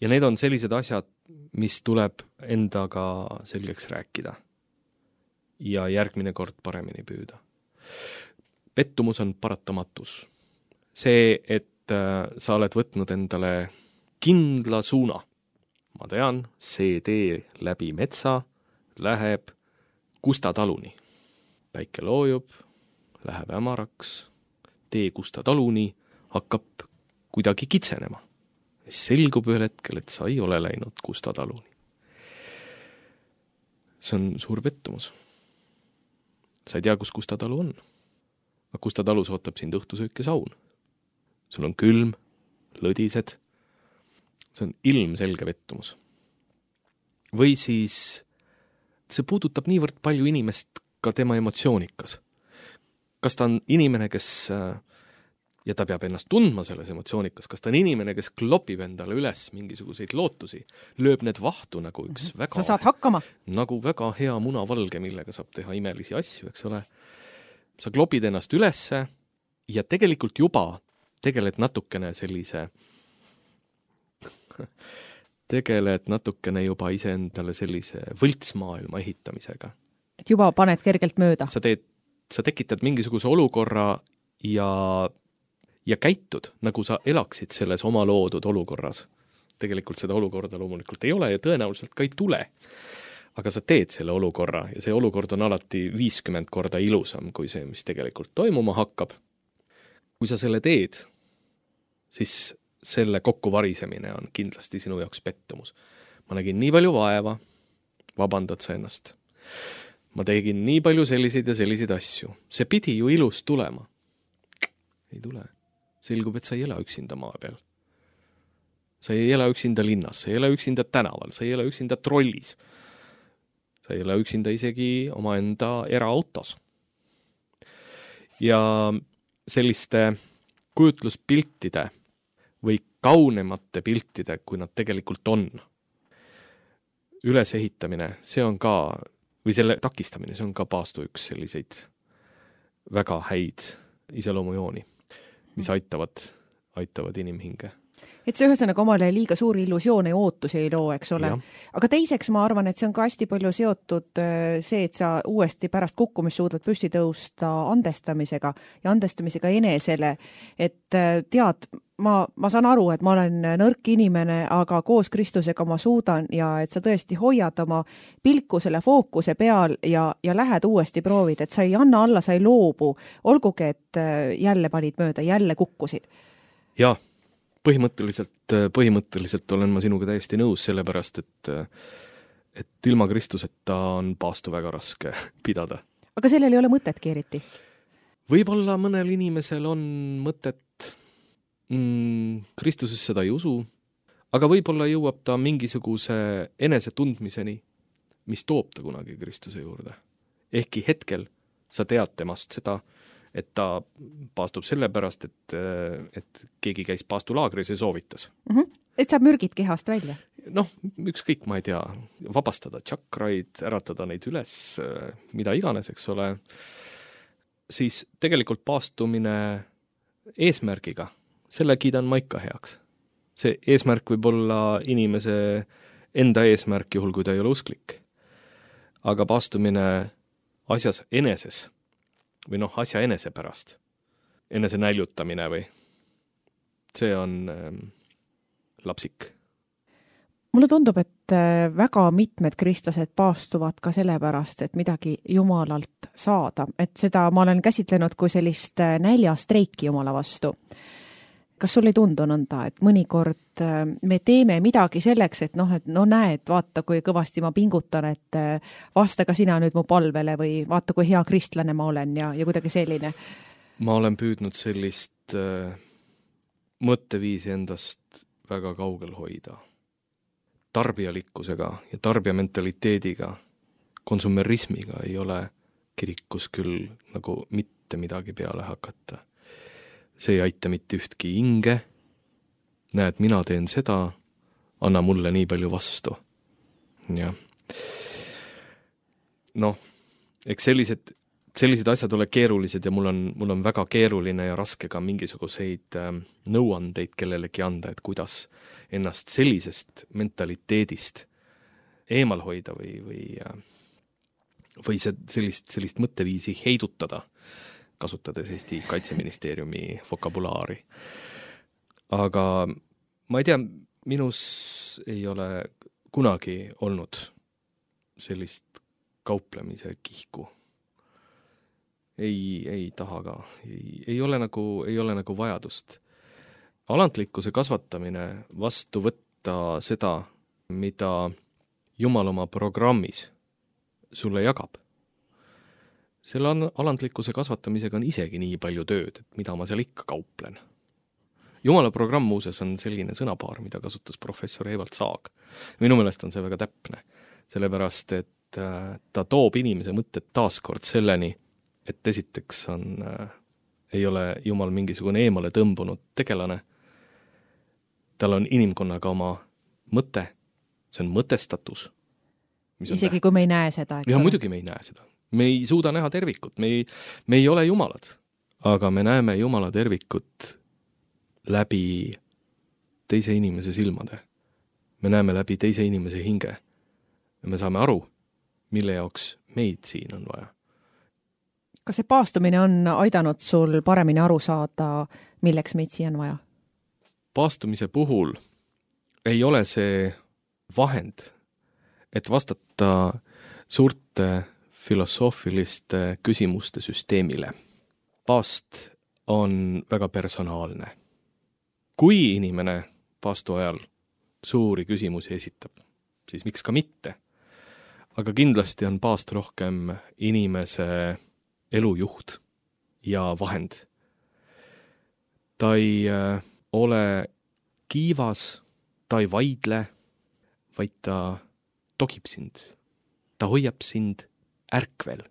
Ja need on sellised asjad, mis tuleb endaga selgeks rääkida. Ja järgmine kord paremini püüda. Pettumus on paratamatus. See, et sa oled võtnud endale kindla suuna. Ma tean, see tee läbi metsa läheb Kusta taluni. Päike loojub, läheb hämaraks, tee Kusta taluni hakkab kuidagi kitsenema. Selgub ühel hetkel, et sa ei ole läinud Kusta taluni. See on suur pettumus. Sa ei tea, kus Kusta talu on. Aga Kusta talus ootab sind õhtusöök ja saun. Sul on külm, lõdised. See on ilmselge pettumus. Või siis see puudutab niivõrd palju inimest ka tema emotsioonikas. Kas ta on inimene, kes, ja ta peab ennast tundma selles emotsioonikas, kas ta on inimene, kes klopib endale üles mingisuguseid lootusi, lööb need vahtu nagu üks väga... Sa saad hakkama. Nagu väga hea munavalge, millega saab teha imelisi asju, eks ole. Sa klopid ennast ülesse ja tegelikult juba tegeled natukene juba iseendale sellise võltsmaailma ehitamisega. Et juba paned kergelt mööda. Sa tekitad mingisuguse olukorra ja käitud, nagu sa elaksid selles oma loodud olukorras. Tegelikult seda olukorda loomulikult ei ole ja tõenäoliselt ka ei tule. Aga sa teed selle olukorra ja see olukord on alati 50 korda ilusam kui see, mis tegelikult toimuma hakkab. Kui sa selle teed, siis selle kokkuvarisemine on kindlasti sinu jaoks pettumus. Ma nägin nii palju vaeva, vabandad sa ennast. Ma tegin nii palju selliseid ja selliseid asju. See pidi ju ilus tulema. Ei tule. Selgub, et sa ei ela üksinda maa peal. Sa ei ela üksinda linnas, sa ei ela üksinda tänaval, sa ei ela üksinda trollis. sa ei ole üksinda isegi omaenda eraautos. Ja selliste kujutluspiltide või kaunemate piltide, kui nad tegelikult on, ülesehitamine, see on ka, või selle takistamine, see on ka paastu üks selliseid väga häid iseloomujooni, mis aitavad inimhinge. Et see ühesõnaga omale liiga suuri illusioone ja ootusi ei loo, eks ole. Aga teiseks ma arvan, et see on ka hästi palju seotud see, et sa uuesti pärast kukkumist suudad püsti tõusta andestamisega ja andestamisega enesele. Et tead, ma saan aru, et ma olen nõrk inimene, aga koos Kristusega ma suudan ja et sa tõesti hoiad oma pilku selle fookuse peal ja lähed uuesti proovid, et sa ei anna alla, sa ei loobu, olgugi, et jälle panid mööda, jälle kukkusid. Jaa. Põhimõtteliselt olen ma sinuga täiesti nõus, sellepärast, et ilma Kristuseta on paastu väga raske pidada. Aga sellel ei ole mõtet keeriti? Võib-olla mõnel inimesel on mõtet, Kristuses seda ei usu, aga võib-olla jõuab ta mingisuguse enesetundmiseni, mis toob ta kunagi Kristuse juurde. Ehkki hetkel sa tead temast seda, et ta paastub sellepärast, et keegi käis paastulaagris ja soovitas. Et saab mürgid kehast välja? Noh, ükskõik, ma ei tea, vabastada tšakraid, äratada neid üles, mida iganes, eks ole. Siis tegelikult paastumine eesmärgiga, selle kiidan ma ikka heaks. See eesmärk võib olla inimese enda eesmärk juhul, kui ta ei ole usklik. Aga paastumine asjas eneses või asja enese pärast, enese näljutamine või see on lapsik. Mulle tundub, et väga mitmed kristlased paastuvad ka sellepärast, et midagi Jumalalt saada, et seda ma olen käsitlenud kui sellist näljastreiki Jumala vastu. Kas sul ei tundu nõnda, et mõnikord me teeme midagi selleks, et näed, vaata, kui kõvasti ma pingutan, et vasta ka sina nüüd mu palvele või vaata, kui hea kristlane ma olen ja kuidagi selline? Ma olen püüdnud sellist mõtteviisi endast väga kaugel hoida. Tarbijalikkusega ja tarbijamentaliteediga, konsumerismiga ei ole kirikus küll nagu mitte midagi peale hakata. See ei aita mitte ühtki hinge. Näed, mina teen seda, anna mulle nii palju vastu. Ja. Eks sellised asjad ole keerulised ja mul on väga keeruline ja raske ka mingisuguseid nõuandeid kellelegi anda, et kuidas ennast sellisest mentaliteedist eemal hoida või sellist mõtteviisi heidutada, kasutades Eesti Kaitseministeeriumi vokabulaari. Aga ma ei tea, minus ei ole kunagi olnud sellist kauplemise kihku. Ei taha ka. Ei ole nagu vajadust. Alantlikkuse kasvatamine vastu võtta seda, mida Jumal oma programmis sulle jagab. Selle alandlikkuse kasvatamisega on isegi nii palju tööd, et mida ma seal ikka kauplen. Jumala programm muuses on selline sõnapaar, mida kasutas professor Evald Saag. Minu meelest on see väga täpne, sellepärast, et ta toob inimese mõtted taaskord selleni, et esiteks ei ole Jumal mingisugune eemale tõmbunud tegelane. Tal on inimkonnaga oma mõte, see on mõtestatus. Isegi kui me ei näe seda, eks ole? Ja muidugi me ei näe seda. Me ei suuda näha tervikut, me ei ole jumalad, aga me näeme Jumala tervikut läbi teise inimese silmade. Me näeme läbi teise inimese hinge ja me saame aru, mille jaoks meid siin on vaja. Kas see paastumine on aidanud sul paremini aru saada, milleks meid siin on vaja? Paastumise puhul ei ole see vahend, et vastata suurte filosoofiliste küsimuste süsteemile. Paast on väga personaalne. Kui inimene paastu ajal suuri küsimusi esitab, siis miks ka mitte? Aga kindlasti on paast rohkem inimese elujuht ja vahend. Ta ei ole kiivas, ta ei vaidle, vaid ta togib sind ta hoiab sind ärkvel,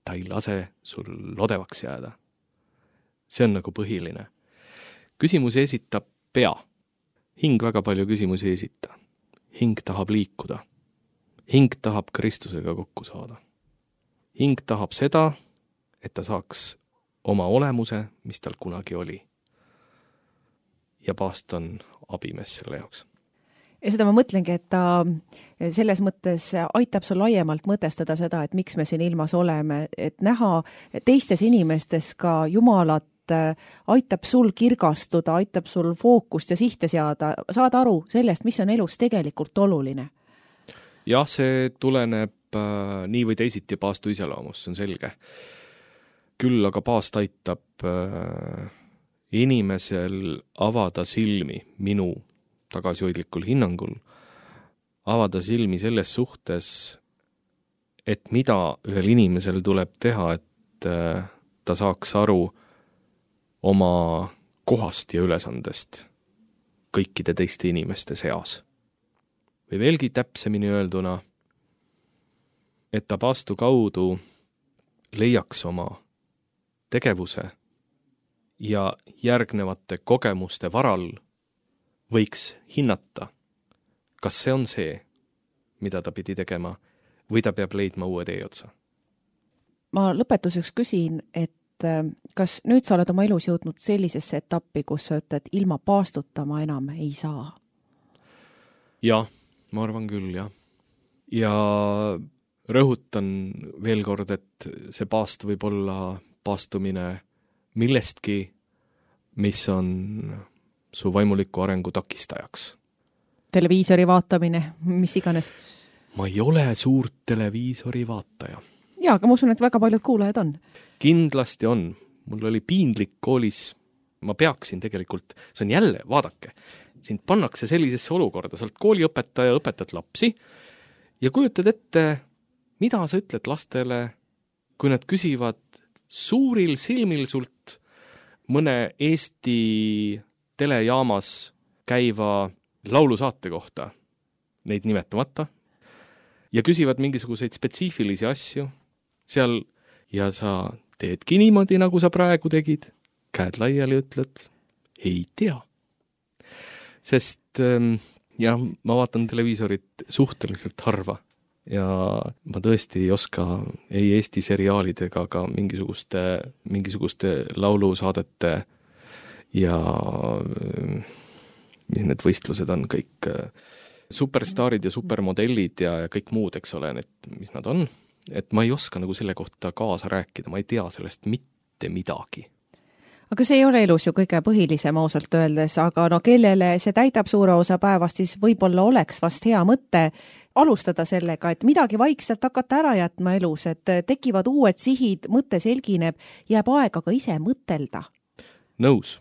ta ei lase sul odevaks jääda. See on nagu põhiline. Küsimusi esitab pea. Hing väga palju küsimusi ei esita. Hing tahab liikuda. Hing tahab Kristusega kokku saada. Hing tahab seda, et ta saaks oma olemuse, mis tal kunagi oli. Ja paast on abimees selle jaoks. Ja seda ma mõtlengi, et ta selles mõttes aitab sul laiemalt mõtestada seda, et miks me siin ilmas oleme, et näha teistes inimestes ka Jumalat, aitab sul kirgastuda, aitab sul fookust ja sihte seada, saada aru sellest, mis on elus tegelikult oluline. Jah, see tuleneb nii või teisiti paastu iseloomust, see on selge. Küll aga paast aitab inimesel avada silmi minu tagasihoidlikul hinnangul, avada silmi selles suhtes, et mida ühel inimesel tuleb teha, et ta saaks aru oma kohast ja ülesandest kõikide teiste inimeste seas. Või veelgi täpsemini öelduna, et ta paastu kaudu leiaks oma tegevuse ja järgnevate kogemuste varal võiks hinnata, kas see on see, mida ta pidi tegema, või ta peab leidma uue tee otsa. Ma lõpetuseks küsin, et kas nüüd sa oled oma elus jõudnud sellisesse etappi, kus sa ütled, et ilma paastuta ma enam ei saa? Jah, ma arvan küll, jah. Ja rõhutan veel kord, et see paast võib olla paastumine millestki, mis on su vaimuliku arengu takistajaks. Televiisori vaatamine, mis iganes. Ma ei ole suurt televiisori vaataja. Jaa, aga ma usun, et väga paljud kuulajad on. Kindlasti on. Mul oli piinlik koolis. Ma peaksin tegelikult, see on jälle, vaadake, sind pannakse sellisesse olukorda, sa oled kooliõpetaja, õpetad lapsi ja kujutad ette, mida sa ütled lastele, kui nad küsivad suuril silmil sult mõne Eesti telejaamas käiva laulusaate kohta, neid nimetamata, ja küsivad mingisuguseid spetsiifilisi asju seal ja sa teedki niimoodi, nagu sa praegu tegid, käed laiali ütled, ei tea. Sest jah, ma vaatan televiisorit suhteliselt harva ja ma tõesti ei oska ei Eesti seriaalidega, aga mingisuguste laulusaadete ja mis need võistlused on, kõik superstaarid ja supermodellid ja kõik muud, eks ole, mis nad on. Et ma ei oska nagu selle kohta kaasa rääkida, ma ei tea sellest mitte midagi. Aga see ei ole elus ju kõige põhilisem ausalt öeldes, aga no kellele see täidab suure osa päevast, siis võib-olla oleks vast hea mõte alustada sellega, et midagi vaikselt hakata ära jätma elus, et tekivad uued sihid, mõte selgineb, jääb aega ka ise mõtelda. Nõus.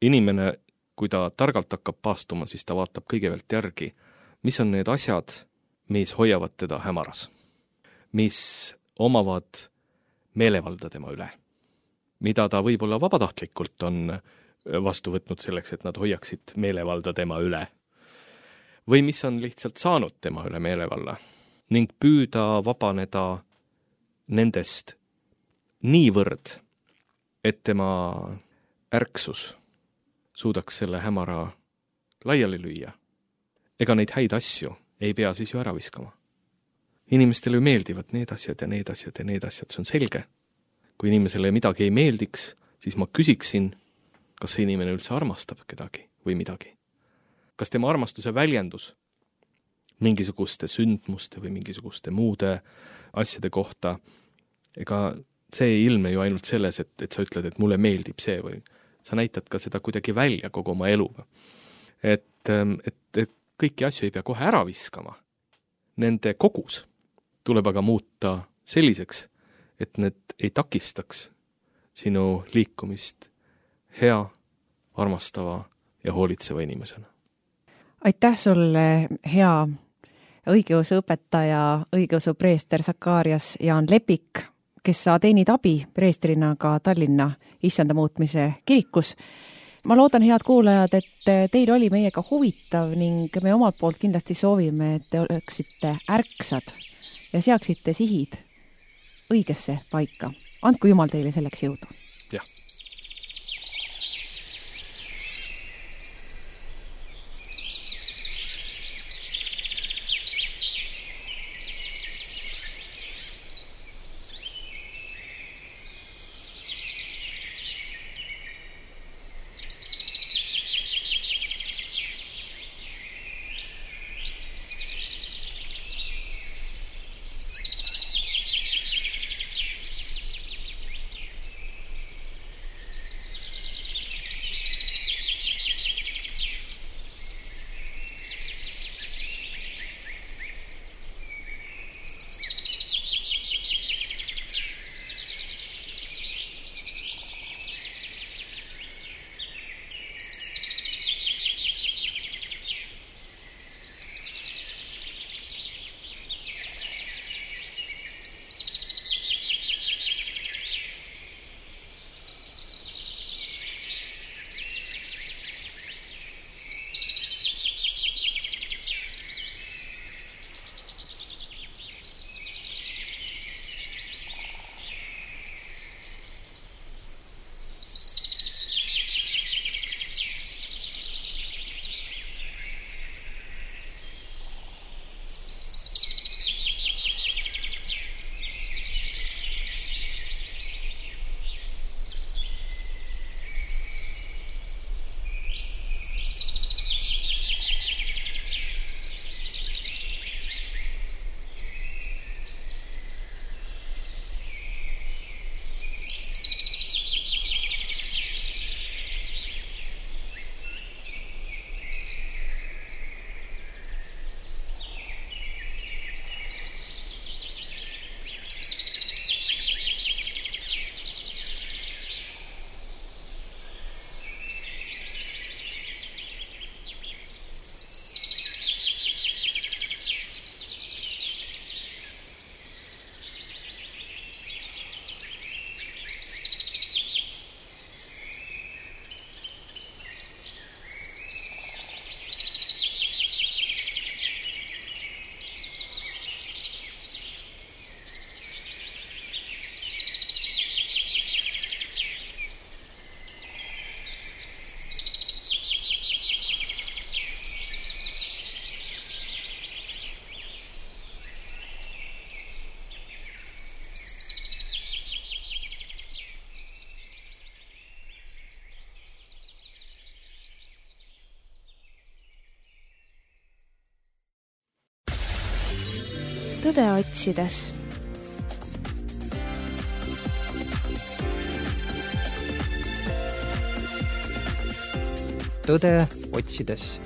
Inimene, kui ta targalt hakkab paastuma, siis ta vaatab kõigepealt järgi, mis on need asjad, mis hoiavad teda hämaras, mis omavad meelevalda tema üle, mida ta võib-olla vabatahtlikult on vastu võtnud selleks, et nad hoiaksid meelevalda tema üle. Või mis on lihtsalt saanud tema üle meelevalla ning püüda vabaneda nendest niivõrd, et tema ärksus suudaks selle hämara laiali lüüa. Ega neid häid asju ei pea siis ju ära viskama. Inimestele ju meeldivad need asjad ja need asjad ja need asjad, see on selge. Kui inimesele midagi ei meeldiks, siis ma küsiksin, kas see inimene üldse armastab kedagi või midagi. Kas tema armastuse väljendus mingisuguste sündmuste või mingisuguste muude asjade kohta, ega see ei ilme ju ainult selles, et sa ütled, et mulle meeldib see või sa näitad ka seda kuidagi välja kogu oma eluga. Et kõiki asju ei pea kohe ära viskama. Nende kogus tuleb aga muuta selliseks, et need ei takistaks sinu liikumist hea, armastava ja hoolitseva inimesena. Aitäh sulle, hea õigeusu õpetaja, õigeusu preester Sakarias Jaan Lepik, kes sa teenid abi preestrina ka Tallinna Issanda muutmise kirikus. Ma loodan, head kuulajad, et teil oli meiega huvitav ning me omalt poolt kindlasti soovime, et te oleksite ärksad ja seaksite sihid õigesse paika. Andku Jumal teile selleks jõudu. jah. Tõde otsides. Tõde otsides.